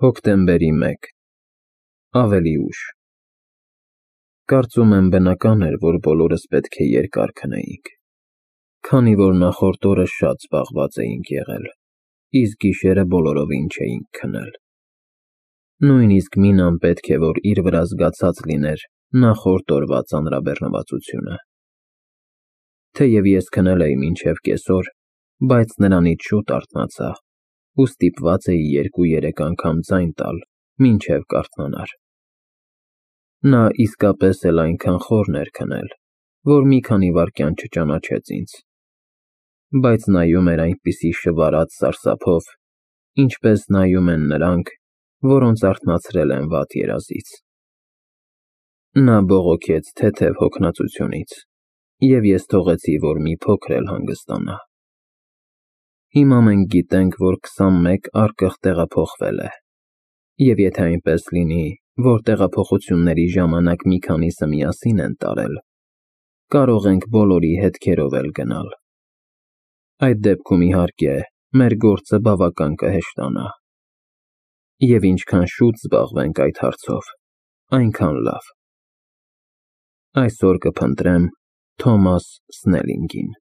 Հոկտեմբերի 1 Ավելի ուշ Կարծում եմ բնական էր, որ բոլորս պետք է երկար քնեինք, քանի որ նախորդ օրը շատ զբաղված էինք եղել, իսկ գիշերը բոլորովին չէինք քնել։ Նույնիսկ Մինան պետք է որ իր վրա զգացած լիներ նախորդ օրվա ծանրաբեռնվածությունը։ Թեև ես քնել էի մինչև կեսօր, բայց նրանից շուտ արթնացա ու ստիպված էի 2-3 անգամ ձայն տալ, մինչև կարթնանար։ Նա իսկապես էլ այնքան խորն էր քնել, որ մի քանի վայրկյան չճանաչեց ինձ, բայց նայում էր այնպիսի շվարած սարսափով, ինչպես նայում են նրանք, որոնց արթնացրել են վատ երազից։ Նա բողոքեց թեթև հոգնածությունից, և ես թողեցի, որ մի փոքր էլ հանգստանա։ Հիմա մենք գիտենք, որ 21 առկղ տեղափոխվել է, և եթե այնպես լինի, որ տեղափոխությունների ժամանակ մի քանիսը միասին են տարել, կարող ենք բոլորի հետքերով էլ գնալ։ Այդ դեպքում, իհարկե, մեր գործը բավական կհեշտանա։ Եվ ինչքան շուտ զբաղվենք այդ հարցով, այնքան լավ։ Այսօր կփնտրեմ Թոմաս Սնելինգին։